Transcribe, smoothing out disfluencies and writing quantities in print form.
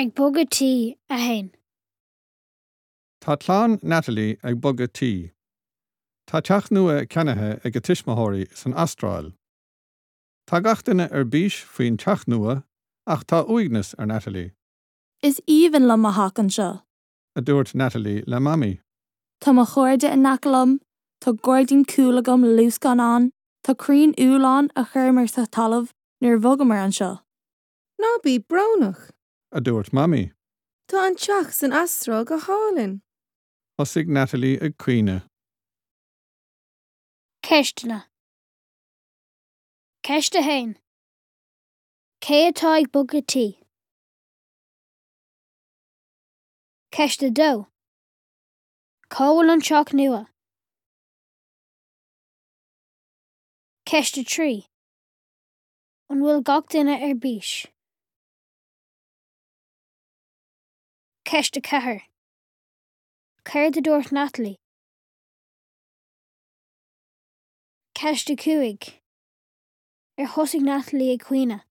Ag bogadh tí 1. Tá clann Natalie ag bogadh tí. Tá teach nua ceannaithe ag a tuismitheoirí san Astráil. Tá gach duine ar bís faoin teach nua ach tá uaigneas ar Natalie. Is aoibhinn liom mo theach anseo. a dúirt Natalie le Mamaí. Tá mo chairde in aice liom, tá gairdín cúil agam le luascáin ann, tá crainn úll ann a chuireamar sa talamh nuair a bhogamar anseo. Ná bí brónach! a dúirt Mamaí. Tá an teach san Astráil go hálainn! Thosaigh Natalie ag caoineadh. Ceisteanna. Ceist 1. Cé atá ag bogadh tí? Ceist 2. Cá bhfuil an teach nua? Ceist 3. An bhfuil gach duine ar bís? Ceist 4. Céard a dúirt Natalie? Ceist 5. Ar thosaigh Natalie ag caoineadh?